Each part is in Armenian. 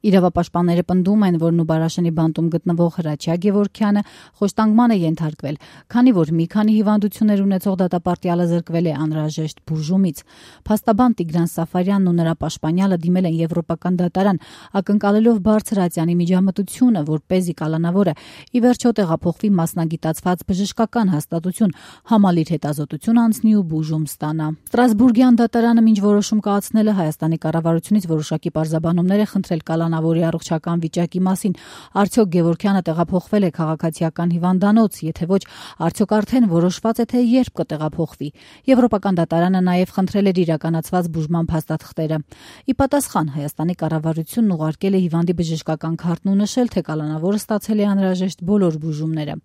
Իրավապաշտպանները պնդում են, որ Նուբարաշենի բանտում գտնվող Հրաչյա Գևորգյանը խոշտանգման է ենթարկվել, քանի որ մի քանի հիվանդություններ ունեցող դատապարտյալը զրկվել է անհրաժեշտ բուժումից։ Փաստաբան Տիգրան Սաֆարյանն ու նրա պաշտպանյալը դիմել են Եվրոպական դատարան, ակնկալելով բարձր ատյանի միջամտությունը, որպեսզի կալանավորը ի վերջո տեղափոխվի մասնագիտացված բժշկական հաստատություն, համալիր հետազոտություն անցնի ու բուժում ստանա։ Ստրասբուրգյան դատարանը մինչ որոշում կայացնելը Հայաստանի կառավարությունից որոշակի պարզաբանումներ է խնդրել կալանավորի առողջական վիճակի մասին։ Արդյոք Գևորգյանը տեղափոխվել է քաղաքացիական հիվանդանոց, եթե ոչ, արդյոք արդեն որոշված է, թե երբ կտեղափոխվի։ Եվրոպական դատարանը նաև խնդրել էր իրականացված բուժման փաստաթղթերը։ Ի պատասխան Հայաստանի կառավարությունն ուղարկել է հիվանդի բժշկական քարտն ու նշել, թե կալանավորը ստացել է անհրաժեշտ բոլոր բուժումները։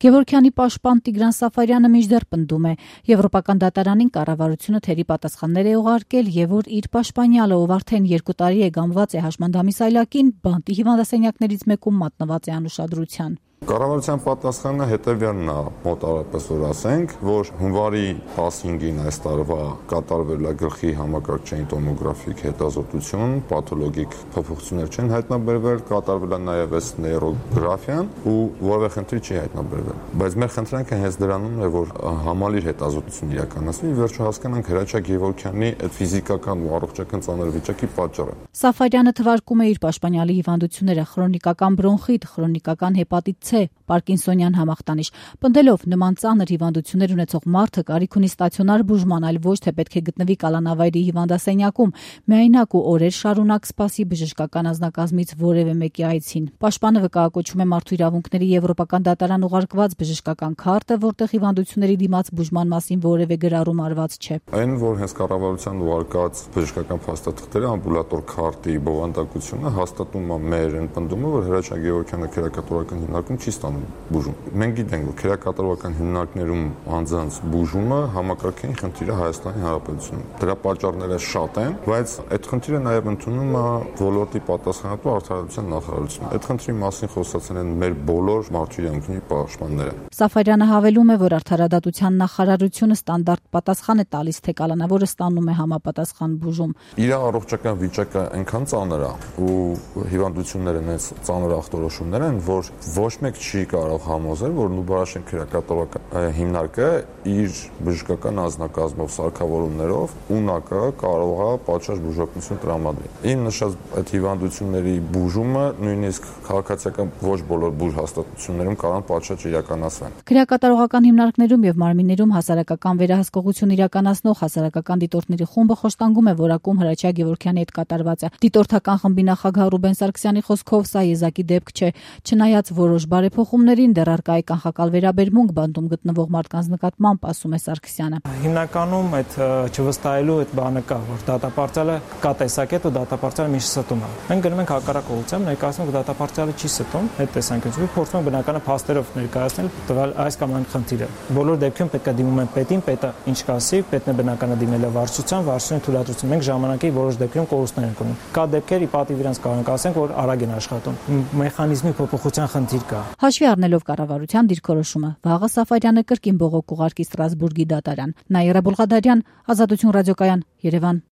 Գևորգյանի պաշտպան Տիգրան Սաֆարյանը մինչդեռ պնդում է, Եվրոպական դատարանին կառավարությունը թերի պատասխաններ է ուղարկել եւ որ իր պաշտպանյալը, ով արդեն 2 տարի է գամված է հաշմանդամի սայլակին, բանտի հիվանդասենյակներից մեկում մատնված է անուշադրության։ Կառավարության պատասխանը հետևյալն է, մոտավորապես որ ասենք, որ հունվարի 15-ին այս տարվա կատարվել է գլխի համակարգչային տոմոգրաֆիկ հետազոտություն, պաթոլոգիկ փոփոխություններ չեն հայտնաբերվել, կատարվել է նաև այս նեյրոգրաֆիան ու որևէ խնդիր չի հայտնաբերվել։ Բայց մեր խնդրանքը հենց դրանում է, որ համալիր հետազոտություն իրականացվի, վերջո հասկանանք Հրաչյա Գևորգյանի այդ ֆիզիկական ու առողջական ծանր վիճակի պատճառը։ Սաֆարյանը թվարկում է իր պաշտպանյալի հիվանդությունները՝ քրոնիկական բրոնխիտ, քրոնիկական հեպատիտ C, Պարկինսոնյան համախտանիշ, պնդելով նման ծանր հիվանդություններ ունեցող մարդը կարիք ունի ստացիոնար բուժման, այլ ոչ թե պետք է գտնվի կալանավայրի հիվանդասենյակում, միայնակ ու օրեր շարունակ սպասի բժշկական անձնակազմից որևէ մեկի այցին։ Պաշտպանը վկայակոչում է Մարդու իրավունքների Եվրոպական դատարան ուղարկված բժշկական քարտը, որտեղ հիվանդությունների դիմաց բուժման մասին որևէ գրառում արված չէ։ Այն, որ հենց կառավարության ուղարկած բժշկական փաստաթղթերը ամբուլատոր քարտի բովանդակությունը հաստատում է մեր պնդումը, որ Հրաչյա Գևորգյանը քերակատարական հիմնարկում չի ստանում բուժում։ Մենք գիտենք, որ քերակատարական հիմնարկներում անձանց բուժումը համակարգային խնդիր է Հայաստանի Հանրապետությունում։ Դրա պատճառները շատ են, բայց այդ խնդիրը նաև ընդունում է ոլորտի պատասխանատու արդարադատության նախարարությունը։ Այդ խնդրի մասին խոսացել են մեր բոլոր մարդու իրավունքների պաշտպանները։ Սաֆարյանը հավելում է, որ արդարադատության նախարարությունը ստանդարտ պատասխան է տալիս, թե կալանավորը ստանում է համապատասխան բուժում։ Իր առողջական վիճակը այնքան ծանր է ու հիվանդությունները այնց ծանր ախտորոշումներ են, որ ոչ մեկ չի կարող համոզել, որ Նուբարաշեն քերակատարական հիմնարկը իր բժշկական անձնակազմով, սարքավորումներով ունակը կարող է պատշաճ բուժօգնություն տրամադրել։ Իմ նշած այդ հիվանդությունների բուժումը նույնիսկ քաղաքացիական ոչ բոլոր բուժ հաստատություններում կարող են պատշաճ իրականացվեն։ Քերակատարողական հիմնարկներում եւ մարմիններում հասարակական վերահսկողություն իրականացնող հասարակական դիտորդների խումբը խոշտանգում է որակում Հրաչյա Գևորգյանի հետ կատարվածը։ Դիտորդական խմբի նախագահ Ռուբեն Սարգսյանի խոսքով սա եզակի դեպք չէ, չնայած որոշ բարեփոխումներին դեռ առկա է կանխակալ վերաբերմունք բանտում գտնվող մարդկանց նկատմամբ, ասում է Սարգսյանը։ Հիմնականում այդ չվստահելու այդ բանը կա, որ դատապարտյալը կա տեսակետ ու դատապարտյալը միշտ ստում է։ Մենք գնում ենք հակառակ ուղղությամբ, ներկայացնում ենք դատապարտյալը չի ստում, այդ տեսանկյունից փորձում ենք բնականաբար փաստերով ներկայացնել տվյալ այս կամ այն խնդիրը։ Բոլոր դեպքերում պետք է դիմում են պետին, պետը ինչ կասի, պետն է բնականաբար դիմել է վարչության թույլատրություն։ Մենք ժամանակի որոշ դեպքերում կորուստներ ենք ունենում։ Կա դեպքեր, ի պատիվ իրանց կարող ենք ասենք, որ արագ են աշխատում։ Մեխանիզմի փոփոխության խնդիր կա։ Հաշվի առնելով կառավարության դիրքորոշումը, վաղը Սաֆարյանը կրկին բողոք կուղարկի Ստրասբուրգի դատարան։ Նաիրա Բոլղադարյան, Ազատություն ռադիոկայան, Երևան։